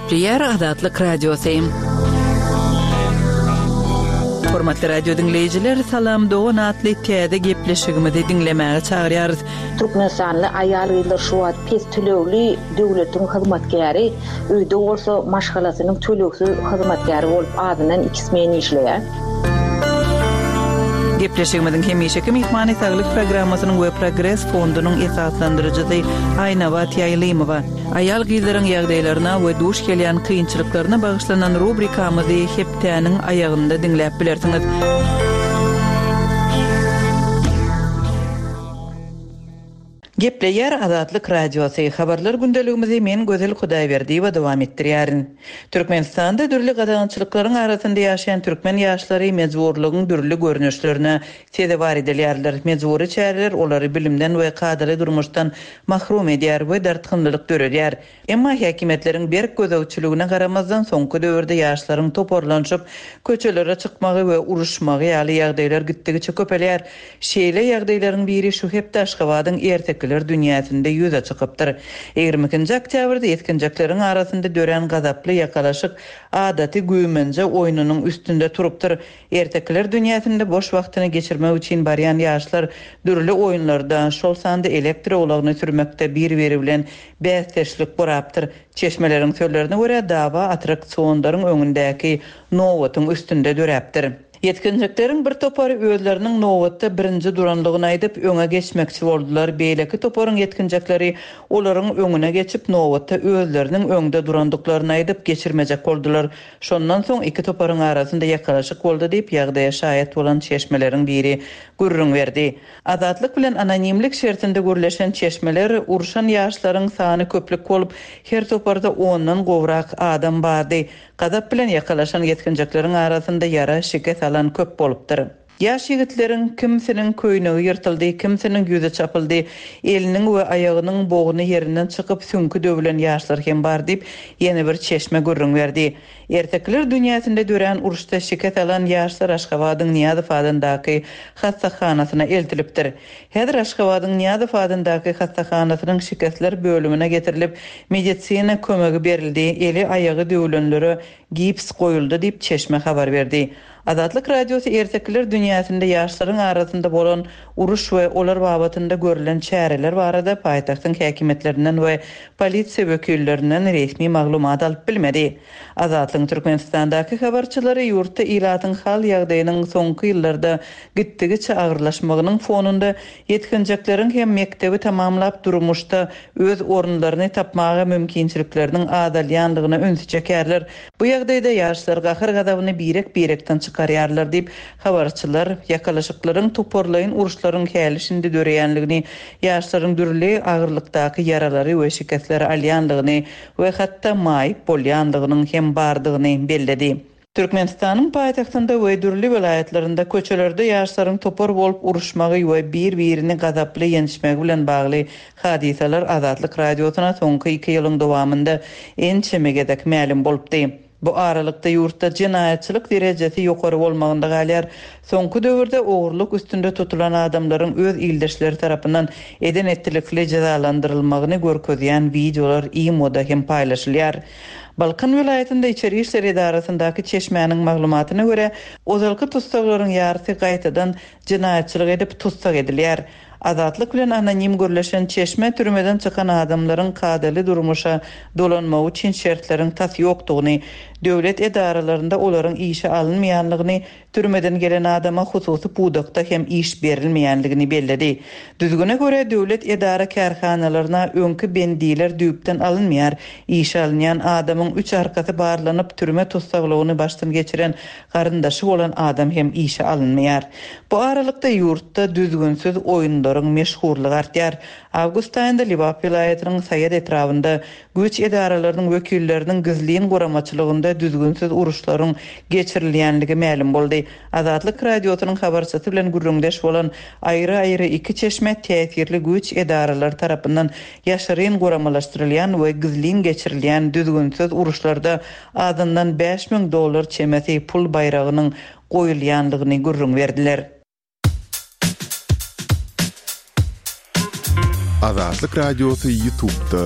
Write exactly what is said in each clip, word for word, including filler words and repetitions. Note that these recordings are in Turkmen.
Gepleýär Azatlyk Radiosy. Hormatly radio diňleýjiler, Salam dogan atly täze gepleşigimizi diňlemäge çagyrýarys. Türkmenistanly aýal-gyzlar şu wagt pes tölegli döwletiň hyzmatkäri, öýde bolsa maşgalasynyň tölegsiz hyzmatkäri bolup azyndan iki smen işleýär. Gepleşigimiziň hemişeki myhmany Saglyk programmasynyň we Progres fondunyň esaslandyryjysy Aýnabat Ýaýlymowa. Aýal-gyzlaryň ýagdaýlaryna we duş gelýän kynçylyklaryna bagyşlanan rubrikamyzy hepdäniň aýagynda diňläp bilersiňiz. Gepleýär Azatlyk Radiosy. Habarlar gündeligimizi men Gözel Hudaýberdiýewa dowam etdirýärin. Türkmenistanda dürli gadagançylyklaryň arasynda ýaşaýan türkmen ýaşlary mejburlygyň dürli görnüşlerine sezewar edilýärler. Mejbury çäreler olary bilimden we kadaly durmuşdan mahrum edýär we dartgynlylyk döredýär. Emma häkimiýetleriň berk gözegçiligine garamazdan soňky döwürde ýaşlaryň toparlanyşyp köçelere çykmagy we uruşmagy ýaly ýagdaýlar gitdigiçe köpelýär. Şeýle ýagdaýlaryň biri şu hepde Aşgabadyň ertekiler dünýäsinde ýüze çykypdyr. Ýigrimi ikinji oktýabrda ýetginjekleriň arasynda dörän gazaply ýakalaşyk adaty güýmenje oýnunyň üstünde turupdyr. Ertekiler dünýäsinde boş wagtyny geçirmek üçin barýan ýaşlar dürli oýunlarda, şol sanda elektroulagyny sürmekde bir-biri bilen bäsdeşlik gurapdyr. Çeşmeleriň sözlerine görä dawa attraksionlaryň öňündäki nobatyň üstünde döräpdir. Ýetginjekleriň bir topary özleriniň nobatda birinji duranlygyny aýdyp, öňe geçmekçi boldular. Beýleki toparyň ýetginjekleri olaryň öňüne geçip, nobatda özleriniň öňde durandyklaryny aýdyp, geçirmejek boldular. Şondan soň iki toparyň arasynda ýakalaşyk boldy diýip, ýagdaýa şaýat bolan çeşmeleriň biri gürrüň berdi. Azatlyk bilen anonimlik şertinde gürleşen çeşmeler urşan ýaşlaryň sany köplük bolup, her toparda ondan gowrak adam bardy. Gazap bilen ýakalaşan ýetginjekleriň arasynda ýara şikes alan köp bolupdyr. Ýaş ýigitleriň kimsiniň köýnegi ýyrtyldy, kimsiniň ýüzi çapyldy, eliniň we aýagynyň bogny ýerinden çykyp süňki döwülen ýaşlar hem bar diýip, ýene bir çeşme gürrüň berdi. Ertekiler dünýäsinde dörän uruşda şikes alan ýaşlar Aşgabadyň Nyýazow adyndaky hassahanasyna eltilipdir. Häzir Aşgabadyň Nyýazow adyndaky hassahanasynyň şikesler bölümine getirilip, medisina kömegi berildi, eli aýagy döwülenlere gips goýuldy diýip çeşme habar berdi. Azatlyk Radiosy ertekiler dünýäsinde ýaşlaryň arasynda bolan uruş we olar babatynda görülen çäreler barada paýtagtyň häkimiýetlerinden we polisiýa wekillerinden resmi maglumat alyp bilmedi. Azatlygyň Türkmenistandaky habarçylary ýurtda ilatyň hal ýagdaýynyň soňky ýyllarda gitdigiçe agyrlaşmagynyň fonunda ýetginjekleriň hem mekdebi tamamlap durmuşda öz orunlaryny tapmaga mümkinçilikleriniň azalýanlygyna ünsi çekerler. Bu ýagdaýda ýaşlar gahar gazabyny birek-birekden çykarýarlar diýip, habarçylar ýakalaşyklaryň toparlaýyn uruşlaryň häli şindi döreýänligini, ýaşlaryň dürli agyrlykdaky ýaralary we şikesleri alýanlygyny we hatda maýyp bolýanlygynyň hem bardygyny belledi. Türkmenistanyň paýtagtynda we dürli welaýatlarynda köçelerde ýaşlaryň topar bolup uruşmagy we bir-birini gazaply ýençmegi bilen bagly hadysalar Azatlyk Radiosyna soňky iki ýylyň dowamynda ençeme gezek mälim bolupdy. Bu aralykda ýurtda jenaýatçylyk derejesi ýokary bolmagynda galýar. Soňky döwürde ogurlyk üstünde tutulan adamlaryň öz ildeşleri tarapyndan eden etdilikli jezalandyrylmagyny görkezýän wideolar imoda hem paýlaşylýar. Balkan welaýatynda içeri işler edarasyndaky çeşmäniň maglumatyna görä, ozalky tussaglaryň ýarysy gaýtadan jenaýatçylyk edip tussag edilýär. Azatlyk bilen anonim gürleşen çeşme türmeden çykan adamlaryň kadaly durmuşa dolanmagy üçin şertleriň tas ýokdugyny, döwlet edaralarynda olaryň işe alynmaýanlygyny, türmeden gelen adama hususy pudakda hem iş berilmeýänligini belledi. Düzgüne görä döwlet edara kärhanalaryna öňki bendiler düýpden alynmaýar. Işe alynýan adamyň üç arkasy barlanyp türme tussaglygyny başdan geçiren garyndaşy bolan adam hem işe alynmaýar. Bu aralykda ýurtda düzgünsiz oýunlaryň meşhurlygy artýar. Awgust aýynda Lebap welaýatynyň Saýat etrabynda güýç edaralarynyň wekilleriniň gizlin guramaçylygynda düzgünsiz uruşlaryň geçirilýänligi mälim boldy. Azatlyk Radiosynyň habarçysy bilen gürrüňdeş bolan aýry-aýry iki çeşme täsirli güýç edaralary tarapyndan ýaşyryn guramalaşdyrylýan we gizlin geçirilýän düzgünsiz uruşlarda azyndan bäş müň dollar çemesi pul baýragynyň goýulýanlygyny gürrüň berdiler. Azatlyk Radiosy YouTube'da.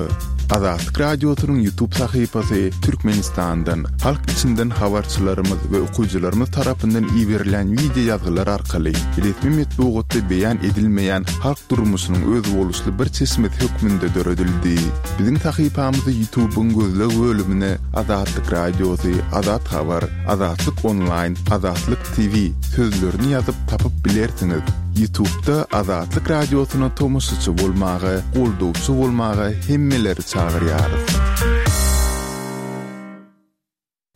Azatlyk Radiosynyň YouTube sahypasy Türkmenistandan, halk içinden habarçylarymyz we okyjylarymyz tarapyndan iberilen wideo ýazgylar arkaly resmi metbugatda beýan edilmeýän halk durmuşynyň özboluşly bir çeşmesi hökmünde döredildi. Biziň sahypamyzy YouTube'yň gözleg bölümine Azatlyk Radiosy, Azat Habar, Azatlyk Online, Azatlyk T V sözlerini ýazyp tapyp bilersiňiz. YouTube'da Azatlyk Radiosyna tomaşaçy bolmaga, goldawçy bolmaga hemmeleri çagyrýarys.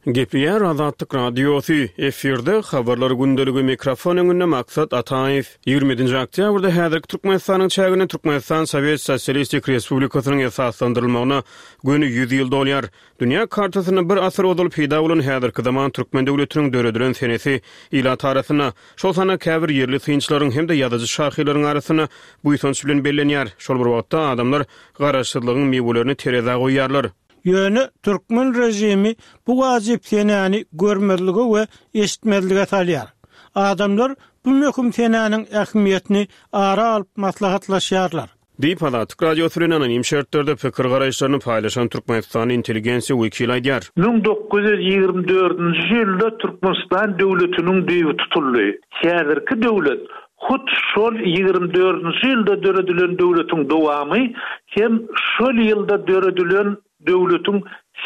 Gepleýär Azatlyk Radiosy, efirde habarlar gündeligi, mikrofon öňünde Maksat Ataýew. Ýigrimi ýedinji oktýabrda häzirki Türkmenistanyň çäginde Türkmenistan Sowet Sosialistik Respublikasynyň esaslandyrylmagyna göni ýüz ýyl dolýar. Dünýä kartasynda bir asyr ozal peýda bolan häzirki zaman türkmen döwletiniň döredilen senesi ilat arasynda, şol sanda käbir ýerli synçylaryň hem-de ýazyjy-şahyrlaryň arasynda buýsanç bilen bellenýär. Şol bir wagtda adamlar garaşsyzlygyň miwelerini terezä goýýarlar. Ýöne türkmen režimi bu wajyp senäni görmezlige we eşitmezlige salýar. Adamlar bu möhüm senäniň ähmiýetini ara alyp maslahatlaşýarlar. Diýip, Azatlyk Radiosy bilen anonim şertlerde pikir-garaýyşlaryny paýlaşan türkmenistanly intelligensiýa wekili aýdýar. Müň dokuz ýüz ýigrimi dördünji ýylda Türkmenistan döwletiniň düýbi tutuldy. Häzirki döwlet hut şol ýigrimi dördünji ýylda döredilen döwletiň dowamy hem şol ýylda döredilen döwletiň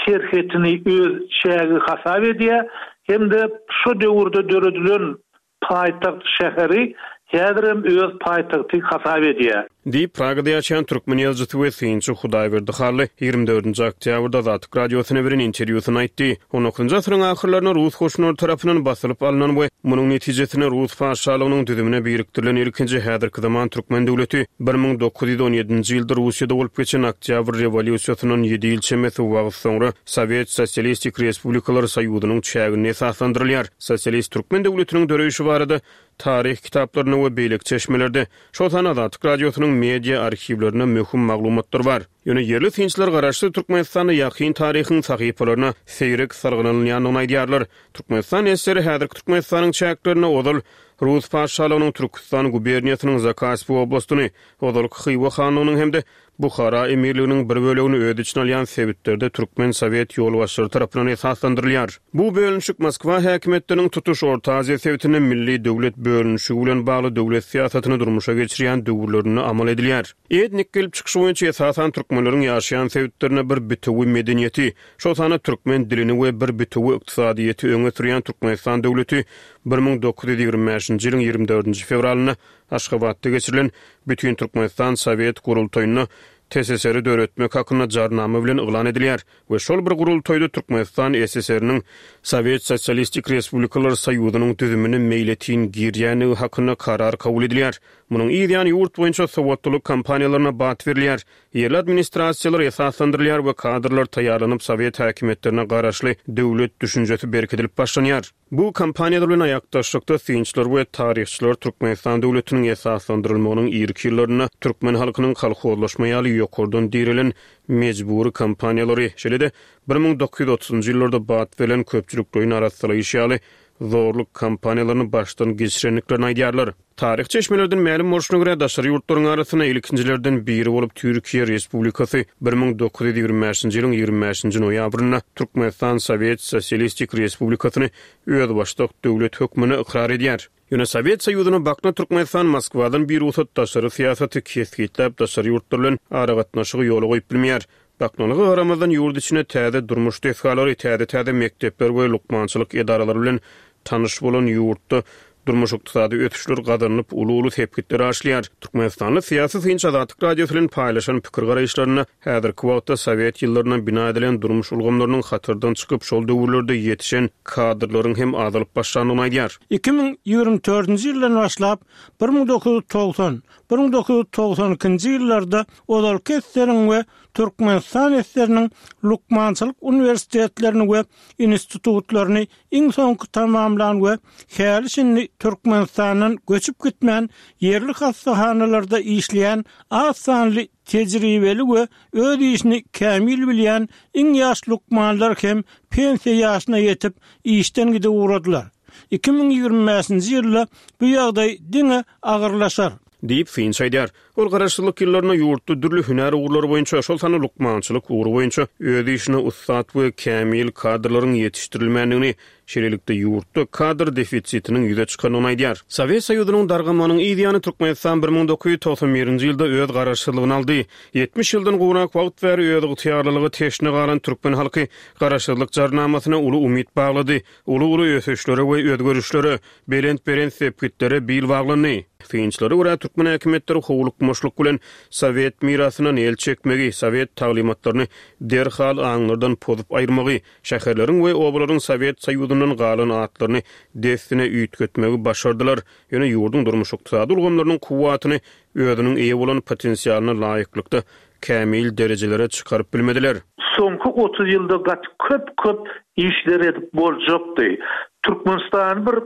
serhetini öz çägi hasap edýär hem-de şo döwürde döredilen paýtagt şäheri häzirem öz paýtagty hasap edýär. Diýip, Pragada ýaşaýan türkmen ýazyjysy we synçy Hudaýberdi Hally ýigrimi dördünji oktýabrda Azatlyk Radiosyna beren interwýusynda aýtdy. On dokuzynjy asyryň ahyrlarynda rus goşunlary tarapyndan basylyp alnan we munuň netijesinde rus patyşalygynyň düzümine birikdirilen ilkinji häzirki zaman türkmen döwleti bir müň dokuz ýüz on ýedinji ýylda Russiýada bolup geçen Oktýabr rewolýusiýasyndan ýedi ýyl çemesi wagt soňra Sowet Sosialistik Respublikalar Soýuzynyň çäginde esaslandyrylýar. Sosialist türkmen döwletiniň döreýşi barada taryh kitaplarynda we beýleki çeşmelerde, şol sanda Azatlyk Radiosynyň media arhiwlerinde möhüm maglumatlar bar. Ýöne ýerli synçylar garaşsyz Türkmenistanda ýakyn taryhyň sahypalaryna seýrek salgylanylýandygyny aýdýarlar. Türkmenistan eseri häzirki Türkmenistanyň çäklerinde ozal Rus patyşalygynyň Türküstan guberniýasynyň Zakaspi oblastyny, ozalky Hywa hanlygynyň hem-de Buhara emirliginiň bir bölegini öz içine alýan sebitlerde Türkmen Sowet ýolbaşçylary tarapyndan esaslandyrylýar. Bu bölünişik Moskwa häkimiýetleriniň tutuş Orta Aziýa sebitinde milli döwlet bölünişigi bilen bagly döwlet syýasatyny durmuşa geçirýän döwürlerinde amal edilýär. Etnik gelip çykyşy boýunça esasan türkmenleriň ýaşaýan sebitlerinde bir bitewi medeniýeti, şol sanda türkmen dilini we bir bitewi ykdysadyýeti öňe sürýän Türkmenistan döwleti bir müň dokuz ýüz ýigrimi bäşinji ýylyň ýigrimi dördünji fewralynda Aşgabatda geçirilen Bütün Türkmenistan Sowet gurultaýynda T S S R-i döretmek hakynda jarnama bilen yglan edilýär we şol bir gurultaýda Türkmenistan S S R-niň Sowet Sosialistik Respublikalar Soýuzynyň düzümine meýletin girýändigi hakynda karar kabul edilýär. Munuň yz ýany ýurt boýunça sowatlylyk kampaniýalaryna bat berilýär. Ýerli administrasiýalar esaslandyrylýar we kadrlar taýýarlanyp Sowet häkimiýetlerine garaşly döwlet düşünjesi berkidilip başlanýar. Bu kampaniýalar bilen aýakdaşlykda synçylar we taryhçylar Türkmenistan döwletiniň esaslandyrylmagynyň irki ýyllarynda türkmen halkynyň kolhozlaşma ýaly ýokardan direlen mejbury kampaniýalary, şeýle-de bir müň dokuz ýüz otuzunjy ýyllarda bat berlen köpçülikleýin arassalaýyş ýaly zorluk kampaniýalaryny başdan geçirendiklerini aýdýarlar. Taryh çeşmelerden mälim bolşuna görä daşary ýurtlaryň arasynda ilkinjilerden biri bolup Türkiýe Respublikasy bir müň dokuz ýüz ýigrimi bäşinji ýylyň ýigrimi bäşinji noýabrynda Türkmenistan Sowet Sosialistik Respublikasyny özbaşdak döwlet hökmünde ykrar edýär. Ýöne Sowet Soýuzyna bakna Türkmenistan Moskwadan bir rugsat daşary syýasaty kesgitläp daşary ýurtlar bilen aragatnaşygy ýola goýup bilmeýär. Baknalygy garamazdan ýurt içine täze durmuş desgalary, täze-täze mekdepler we lukmançylyk edaralary bilen tanyş bolan ýurtda durmuş ykdysady ösüşler gazanylyp uly-uly sepgitler aşylýar. Türkmenistanly syýasy synçy Azatlyk Radiosy bilen paýlaşan pikir garaýyşlarynda häzirki wagtda Sowet ýyllarynda bina edilen durmuş ulgamlarynyň hatardan çykyp şol döwürlerde ýetişen kadrlaryň hem azalyp başlandygyny aýdýar. Iki müň ýigrimi dördünji ýyldan başlap bir müň dokuz ýüz togsan, bir müň dokuz ýüz togsan ikinji ýyllarda ozalky eseriň we Türkmenistan eseriniň lukmançylyk uniwersitetlerini we institutlaryny iň soňky tamamlan we häli şindi Türkmenistandan göçüp gitmän ýerli hassahanalarda işleýän az sanly tejribeli we öz işini kämil bilýän iň ýaş lukmanlar hem pensiýa ýaşyna ýetip işden gidip ugradylar. Iki müň ýigrimi bäşinji ýylda bu ýagdaý diňe agyrlaşar. Diýip, synçy aýdýar. Ol garaşsyzlyk ýyllarynda ýurtda dürli hünär ugurlary boýunça, şol sanda lukmançylyk ugry boýunça öz işine ussat we kämil kadrlaryň ýetişdirilmändigini, şeýlelikde ýurtda kadr defisitiniň ýüze çykandygyny aýdýar. Sowet Soýuzynyň dargamagynyň yz ýany Türkmenistan bir müň dokuz ýüz togsan birinji ýylda öz garaşsyzlygyny aldy. Ýetmiş ýyldan gowrak wagt bäri özygtyýarlylyga teşne galan türkmen halky garaşsyzlyk jarnamasyna uly umyt baglady, uly-uly ösüşlere we özgerişlere, belent-belent sepgitlere bil baglandy. Synçylara görä, türkmen häkimiýetleri howlukmaçlyk bilen sowet mirasyndan el çekmegi, sowet taglymatlaryny derhal aňlardan pozup aýyrmagy, şäherleriň we obalaryň Sowet Soýuzyndan galan atlaryny dessine üýtgetmegi başardylar. Ýöne ýurduň durmuş-ykdysady ulgamlarynyň kuwwatyny özüniň eýe bolan potensialyna laýyklykda kämil derejelere çykaryp bilmediler. Soňky otuz ýylda gaty köp-köp işler edip boljakdy. Türkmenistany bir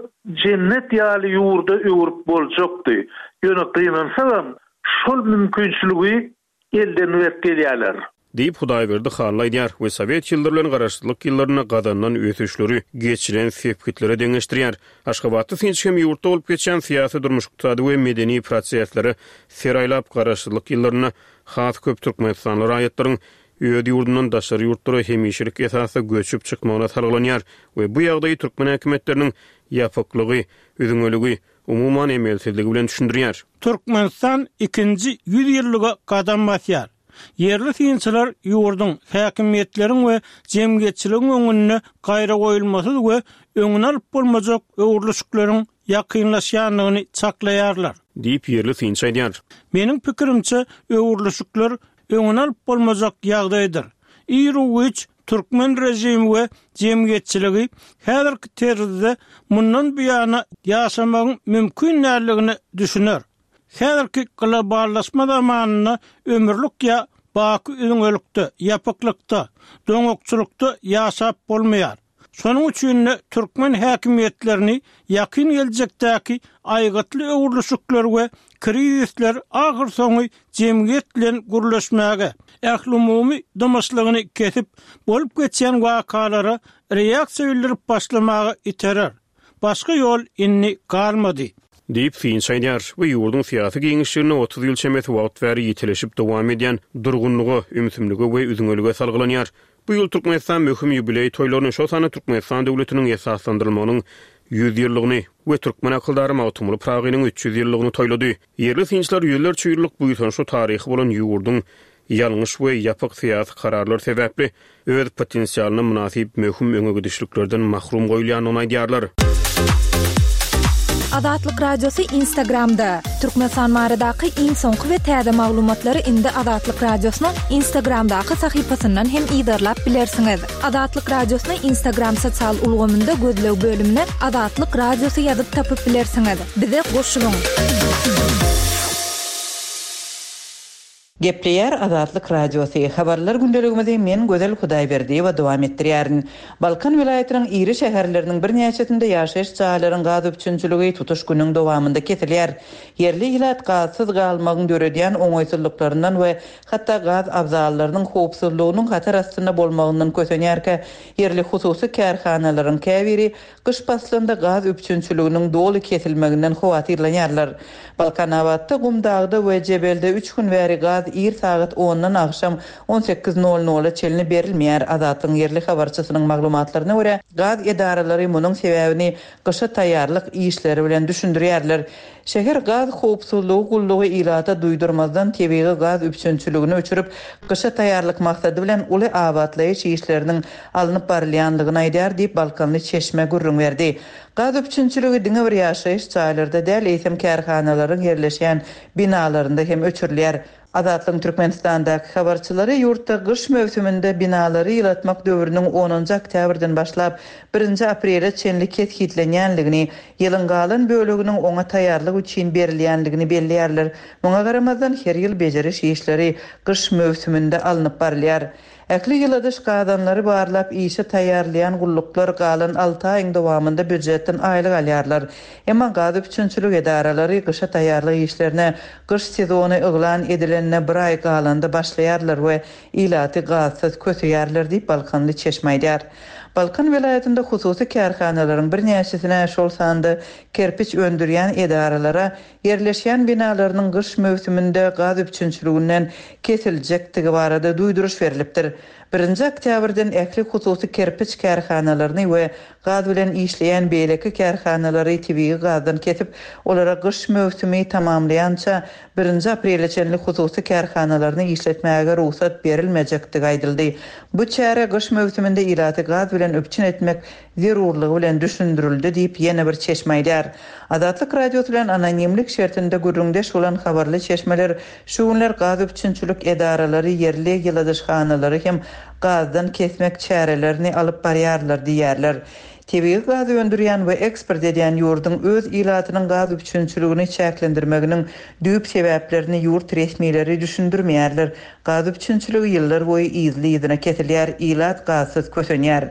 jennet ýaly ýurda öwürip boljakdy. Ýöne gynansagam, şol mümkinçiligi elden berip gelýärler. Diýip, Hudaýberdi Hally aýdýar we sowet ýyllary bilen garaşsyzlyk ýyllarynda gazanylan ösüşleri geçilen sepgitlere deňeşdirýär. Aşgabatda synçy hem ýurtda bolup geçýän syýasy, durmuş-ykdysady we medeni proseslere ser aýlap, garaşsyzlyk ýyllarynda has köp türkmenistanly raýatlaryň öz ýurdundan daşary ýurtlara hemişelik esasda göçüp çykmagyna salgylanýar we bu ýagdaýy türkmen häkimiýetleriniň ýapyklygy, üzňeligi, umuman emelsizligi bilen düşündirýär. Türkmenistan ikinji ýüz ýyllyga gadam basýar. Ýerli synçylar ýurduň, häkimiýetleriň we jemgyýetçiligiň öňünde gaýragoýulmasyz we öňüni alyp bolmajak öwrülişikleriň ýakynlaşýandygyny çaklaýarlar. Diýip, ýerli synçy aýdýar. Meniň pikirimçe, öwrülişikler öňüni alyp bolmajak ýagdaýdyr. Iru-giç türkmen režimi we jemgyýetçiligi häzirki terzde mundan buýana ýaşamagyň mümkin däldigine düşüner. Häzirki globallaşma zamanynda ömürlik ýa baky üzňelikde, ýapyklykda, doňakçylykda ýaşap bolmaýar. Şonuň üçin-de türkmen häkimiýetlerini ýakyn geljekdäki aýgytly öwrülişikler we krizisler ahyrsoňy jemgyýet bilen gürleşmäge, ählumumy dymyşlygyny kesip, bolup geçýän wakalara reaksiýa bildirip başlamaga iterer. Başga ýol indi galmady. Diýip, synçy aýdýar we ýurduň syýasy giňişliginde otuz ýyl çemesi wagt bäri ýitileşip dowam edýän durgunlyga, ümsümlige we üzňelige salgylanýar. Bu ýyl Türkmenistan möhüm ýubileý toýlaryny, şol sanda Türkmenistan döwletiniň esaslandyrylmagynyň ýüz ýyllygyny we türkmen akyldary Magtymguly Pyragynyň üç ýüz ýyllygyny toýlady. Ýerli synçylar ýüzlerçe ýyllyk buýsançly taryhy bolan ýurduň ýalňyş we ýapyk syýasy kararlar sebäpli öz potensialyna mynasyp möhüm öňe gidişliklerden mahrum goýulýandygyny aýdýarlar. Azatlyk Radiosy Instagramda. Türkmenistan baradaky iň soňky we täze maglumatlary indi Azatlyk Radiosynyň Instagramdaky sahypasyndan hem yzarlap bilersiňiz. Azatlyk Radiosyny Instagram sosial ulgamynda gözleg bölümine Azatlyk Radiosy ýazyp tapyp bilersiňiz. Bize goşulyň. Gepleýär Azatlyk Radiosy. Habarlar gündeligimizi men Gözel Hudaýberdiýewa dowam etdirýärin. Balkan welaýatynyň iri şäherleriniň birnäçesinde ýaşaýyş jaýlaryň gaz üpjünçiligi tutuş günüň dowamynda kesilýär. Ýerli ilat gazsyz galmagyň döredýän oňaýsyzlyklaryndan we hatda gaz abzallarynyň howpsuzlygynyň hatar astynda bolmagyndan kösenýärkä, ýerli hususy kärhanalaryň käbiri gyş paslynda gaz üpjünçiliginiň doly kesilmeginden howatyrlanýarlar. Balkanabatda, Gumdagda we Jebelde üç gün bäri gaz ir sagat ondan agşam on sekiz nol nola çenli berilmeýär. Azatlygyň ýerli habarçysynyň maglumatlaryna görä, gaz edaralary munuň sebäbini gyşa taýýarlyk işleri bilen düşündirýärler. Şäher gaz howpsuzlygy gullugy ilata duýdurmazdan tebigy gaz üpjünçiligini öçürip, gyşa taýýarlyk maksady bilen uly abatlaýyş işleriniň alnyp barylýandygyny aýdýar diýip Balkanly çeşme gürrüň berdi. Gaz üpjünçiligi diňe bir ýaşaýyş jaýlarda däl, eýsem kärhanalaryň ýerleşýän binalarynda hem öçürilýär. Azatlygyň Türkmenistandaky habarçylary ýurtda gyş möwsüminde binalary ýylatmak döwrüniň onunjy oktýabrdan başlap birinji aprele çenli kesgitlenýänligini, ýylyň galan böleginiň oňa taýýarlyk üçin berilýänligini belleýärler. Muňa garamazdan her ýyl bejeriş işleri gyş möwsüminde alnyp barylýar. Ähli ýyladyş gazanlary barlap işe taýýarlaýan gulluklar galan alty aýyň dowamynda býujetden aýlyk alýarlar. Emma gaz üpjünçilik edaralary gyşa taýýarlyk işlerine gyş sezony yglan edilenine bir aý galanda başlaýarlar we ilaty gazsyz köseýärler diýip Balkanly çeşme aýdýar. Balkan welaýatynda hususy kärhanalaryň birnäçesine, şol sanda kerpiç öndürýän edaralara ýerleşýän binalarynyň gyş möwsüminde gaz üpjünçiliginden kesiljekdigi barada duýduryş berlipdir. Birinji oktýabrdan ähli hususy kerpiç kärhanalaryny we gaz bilen işleýän beýleki kärhanalary tebigy gazdan kesip, olara gyş möwsümi tamamlaýança birinji aprele çenli hususy kärhanalaryny işletmäge rugsat berilmejekdigi aýdyldy. Bu çäre gyş möwsüminde ilaty gaz bilen üpjün etmek zerurlygy bilen düşündirildi diýip, ýene bir çeşme aýdýar. Azatlyk Radiosy bilen anonimlik şertinde gürrüňdeş bolan habarly çeşmeler şu günler gaz üpjünçilik edaralary ýerli ýyladyşhanalary hem gazdan kesmek çärelerini alyp barýarlar diýýärler. Tebigy gaz öndürýän we eksport edýän ýurduň öz ilatynyň gaz üpjünçiligini çäklendirmeginiň düýp sebäplerini ýurt resmileri düşündirmeýärler. Gaz üpjünçiligi ýyllar boýy yzly-yzyna kesilýär, ilat gazsyz kösenýär.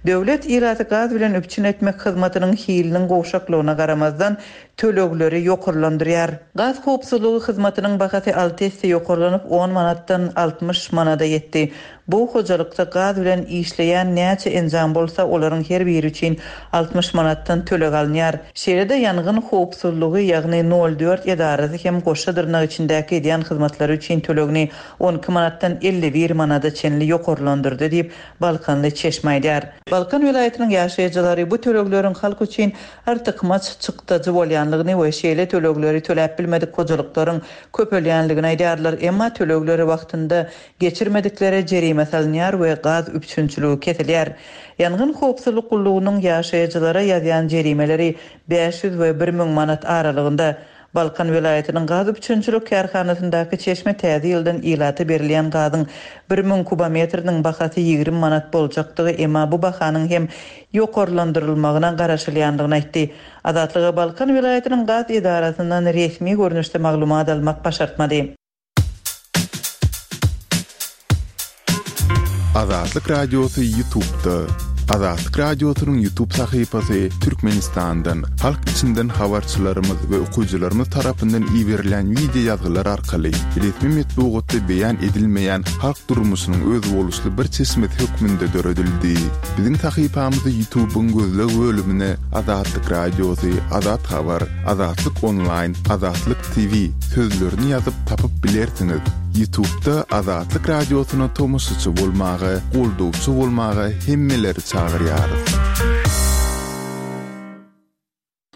Döwlet ilaty gaz bilen üpjün etmek hyzmatynyň hiliniň gowşaklygyna garamazdan tölegleri ýokarlandyrýar. Gaz howpsuzlygy hyzmatynyň bahasy alty esse ýokarlanyp on manatdan altmyş manada ýetdi. Bu hojalykda gaz bilen işleýän näçe enjam bolsa, olaryň her biri üçin altmyş manatdan töleg alynýar. Şeýle-de ýangyn howpsuzlygy, ýagny nol dört edarasy hem goşa dyrnak içindäki edýän hyzmatlary üçin tölegini on iki manatdan elli bir manada çenli ýokarlandyrdy diýip, Balkanly çeşme aýdýar. Balkan welaýatynyň ýaşaýjylary bu tölegleriň halk üçin artykmaç çykdajy bolýanlygyny we şeýle tölegleri töläp bilmedik hojalyklaryň köpelýänligini aýdýarlar. Emma tölegleri wagtynda geçirmediklere jerime salynýar we gaz üpjünçiligi kesilýär. Ýangyn howpsuzlyk gullugynyň ýaşaýjylara ýazýan jerimeleri bäş ýüz we bir müň manat aralygynda. Balkan welaýatynyň gaz üpjünçilik kärhanasyndaky çeşme täze ýyldan ilata berilýän gazyň bir müň kubometriniň bahasy ýigrimi manat boljakdygy, emma bu bahanyň hem ýokarlandyrylmagyna garaşylýandygyny aýtdy. Azatlyga Balkan welaýatynyň gaz edarasyndan resmi görnüşde maglumat almak başartmady. Azatlyk Radiosy YouTube'da. Azatlyk Radiosynyň YouTube sahypasy Türkmenistandan, halk içinden habarçylarymyz we okyjylarymyz tarapyndan iberilen video ýazgylar arkaly resmi metbugatda beýan edilmeýän halk durmuşynyň özboluşly bir çeşmesi hökmünde döredildi. Biziň sahypamyzy YouTube'yň gözleg bölümine Azatlyk Radiosy, Azat Habar, Azatlyk Online, Azatlyk T V sözlerini ýazyp tapyp bilersiňiz. YouTube'da Azatlyk Radiosyna tomaşaçy bolmaga, goldawçy bolmaga hemmeleri çagyrýarys.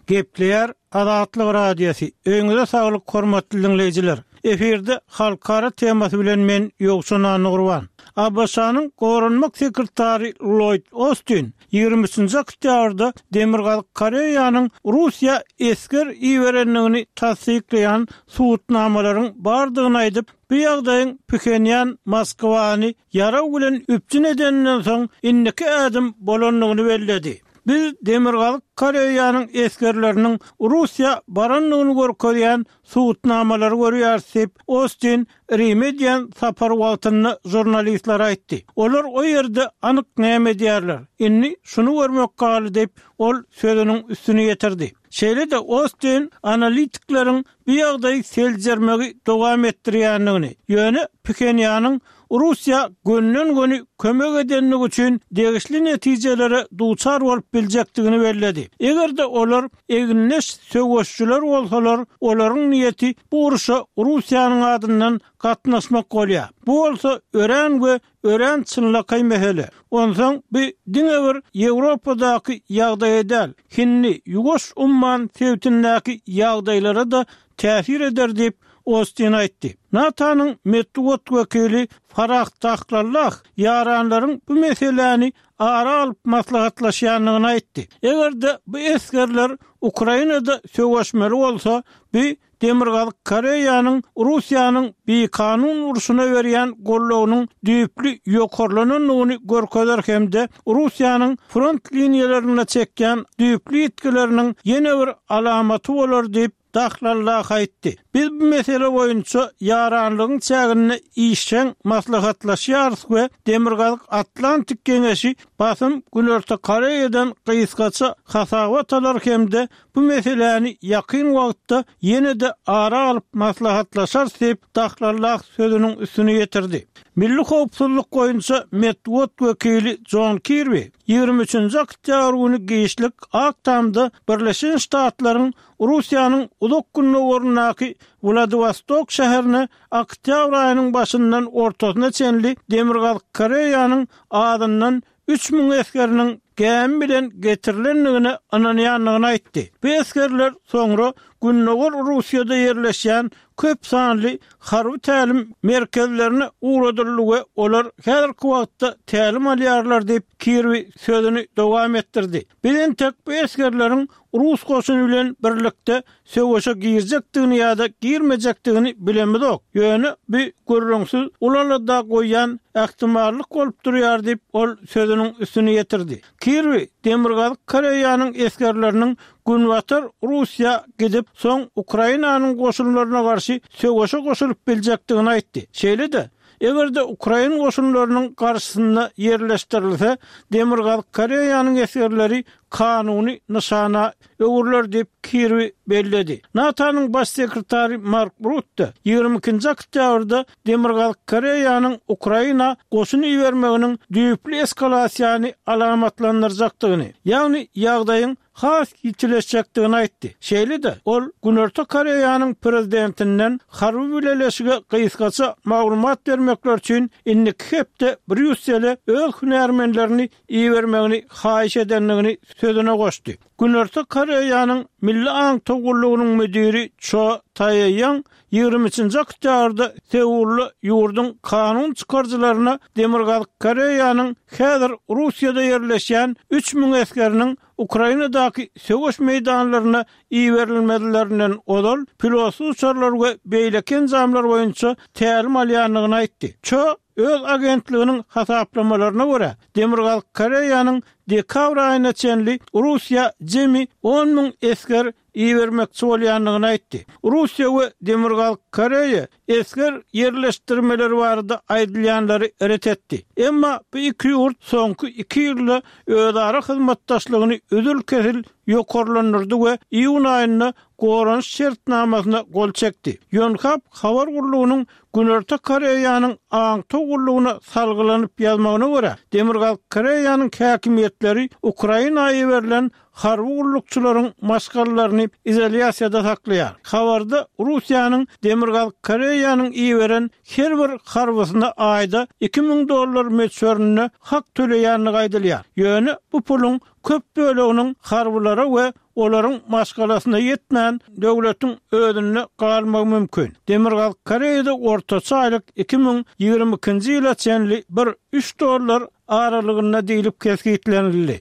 Gepleýär Azatlyk Radiosy. Öýüňize saglyk hormatly dinleýjiler. Efirde halkara temasy bilen men Ýowşan Annagurban. A B Ş-nyň goranmak sekretary Lloyd Austin ýigrimi üçünji oktýabrda Demirgazyk Koreýanyň Russiýa esger iberendigini tassyklaýan subutnamalaryň bardygyny aýdyp, bu ýagdaýyň Phenýan Moskwany ýaraw bilen üpjün edeninden soň indiki ädim bolandygyny belledi. Biz Demirgazyk Koreýanyň esgerleriniň Russiýa barandygyny görkezýän subutnamalary görýäris diýip, Austin Rime edýän sapar wagtynda žurnalistler aýtdy. Olar o ýerde anyk näme edýärler? Indi şuny görmek galdy diýip, ol sözüniň üstüni ýetirdi. Şeýle-de Austin analitikleriň bu ýagdaýy seljermegi dowam etdirýändigini, ýöne Phenýanyň Russiýa gönden-göni kömek edenligi üçin degişli netijelere duçar bolup biljekdigini belledi. Eger-de olar eginleş söweşçiler bolsalar, olaryň niýeti bu uruşa Russiýanyň adyndan gatnaşmak bolýar. Bu bolsa örän we örän çynlakaý mesele. Onsoň bu diňe bir Ýewropadaky ýagdaýa däl, Hindi, Ýuwaş umman sebitindäki ýagdaýlara da täsir eder diýip Austin aýtdy. NATO-nyň metbugat wekili Farah Dahlallah ýaranlaryň bu meseläni ara alyp maslahatlaşýandygyny aýtdy. Eger-de bu esgerler Ukrainada söweşmeli bolsa, bu Demirgazyk Koreýanyň Russiýanyň bikanun urşuna berýän goldawynyň düýpli ýokarlanandygyny görkezer hem-de Russiýanyň front liniýalarynda çekýän düýpli ýitgileriniň ýene bir alamaty bolar diýip Dahlallah aýtdy. Biz bu mesele boýunça ýaranlygyň çäginde işjeň maslahatlaşýarys we Demirgazyk Atlantik Geňeşi basym Günorta Koreýadan gysgaça hasabat alar hem-de bu meseläni ýakyn wagtda ýene-de ara alyp maslahatlaşarys diýip Dahlallah sözüniň üstüni ýetirdi. Milli howpsuzlyk boýunça metbugat wekili Jon Kirbi ýigrimi üçünji oktýabr güni giçlik Ak Tamda Birleşen Ştatlaryň Russiýanyň Uzak Gündogaryndaky Wladiwostok şäherine oktýabr aýynyň başyndan ortasyna çenli Demirgazyk Koreýanyň azyndan üç müň esgeriniň gämi bilen getirilendigine ynanýandygyny aýtdy. Bu esgerler soňra Gündogar Russiýada ýerleşýän köp sanly harby tälim merkezlerine ugradyldy we olar häzirki wagtda tälim alýarlar diýip, Kirbi sözüni dowam etdirdi. Biz entek bu esgerleriň rus goşuny bilen birlikde söweşe girjekdigini ýa-da girmejekdigini bilemizok, ýöne bu gürrüňsiz uly alada goýýan ähtimallyk bolup durýar diýip, ol sözüniň üstüni ýetirdi. Kirbi Demirgazyk Koreýanyň esgerleriniň Günbatar Russiýa gidip, soň Ukrainanyň goşunlaryna garşy söweşe goşulyp biljekdigini aýtdy. Şeýle-de, eger-de ukrain goşunlarynyň garşysynda ýerleşdirilse, Demirgazyk Koreýanyň esgerleri kanuny nyşana öwrüler diýip, Kirbi belledi. NATO-nyň Baş sekretary Mark Rutte ýigrimi ikinji oktýabrda Demirgazyk Koreýanyň Ukraina goşun ibermeginiň düýpli eskalasiýany alamatlandyrjakdygyny, ýagny ýagdaýyň has ýitileşjekdigini aýtdy. Şeýle-de, ol Günorta Koreýanyň prezidentinden harby bileleşige gysgaça maglumat bermekleri üçin indiki hepde Brýussele öz hünärmenlerini ibermegini haýyş edendigini sözüne goşdy. Günorta Koreýanyň Milli aňtaw gullugynyň müdiri Ço Tae-ýong ýigrimi üçünji oktýabrda Seulda ýurduň kanun çykaryjylaryna Demirgazyk Koreýanyň häzir Russiýada ýerleşýän üç müň esgeriniň Ukrainadaky söweş meýdanlaryna iberilmezlerinden ozal pilotsyz uçarlar we beýleki enjamlar boýunça tälim alýandygyny aýtdy. Ço öz agentliginiň hasaplamalaryna görä, Demirgazyk Koreýanyň dekabr aýyna çenli Russiýa jemi on müň esger ibermekçi bolýandygyny aýtdy. Russiýa we Demirgazyk Koreýa esger ýerleşdirmeleri barada aýdylýanlary ret etdi. Emma bu iki ýurt soňky iki ýylda özara hyzmatdaşlygyny üzül-kesil ýokarlandyrdy we iýun aýynda goranyş şertnamasyna gol çekdi. Ýonhap habar gullugynyň Günorta Koreýanyň aňtaw gullugyna salgylanyp ýazmagyna görä, Demirgazyk Koreýanyň häkimiýetleri Ukraina iberilen harby gullukçylaryň maşgalalaryny izolýasiýada saklaýar. Habarda Russiýanyň Demirgazyk Koreýanyň iberen her bir harbysyna aýda iki müň dollar möçberinde hak töleýändigi aýdylýar. Ýöne bu puluň köp böleginiň harbylara we olaryň maşgalasyna ýetmän, döwletiň özünde galmagy mümkin. Demirgazyk Koreýada ortaça aýlyk iki müň ýigrimi ikinji ýyla çenli bir üç dollar aralygynda diýlip kesgitlenildi.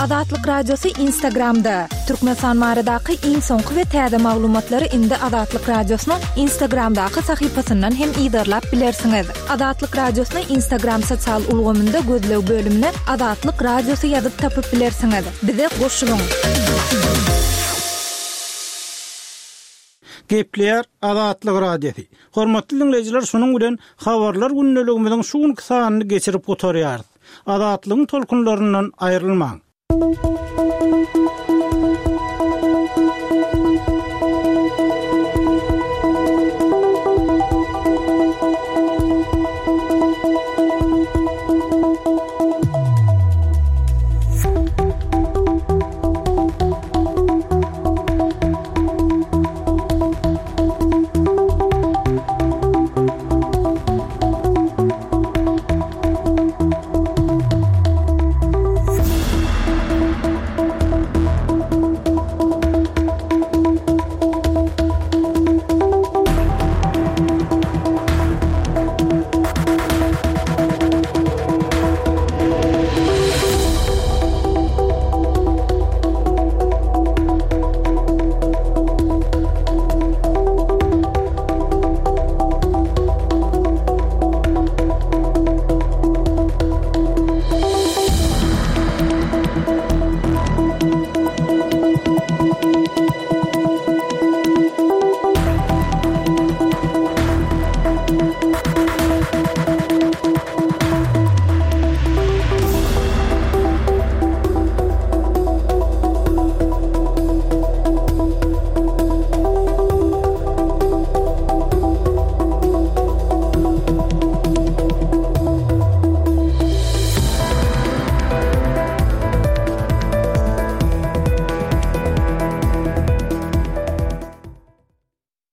Azatlyk Radiosy Instagramda. Türkmenistan baradaky iň soňky we täze maglumatlary indi Azatlyk Radiosynyň Instagramdaky sahypasyndan hem yzarlap bilersiňiz. Azatlyk Radiosyny Instagram sosial ulgamynda gözleg bölümine Azatlyk Radiosy ýazyp tapyp bilersiňiz. Bize goşulyň! Gepleýär Azatlyk Radiosy. Hormatly diňleýjiler, şunuň bilen habarlar gündeligimiziň şu günki sanyny geçirip gutarýarys. Azatlygyň tolkunlaryndan aýrylmaň.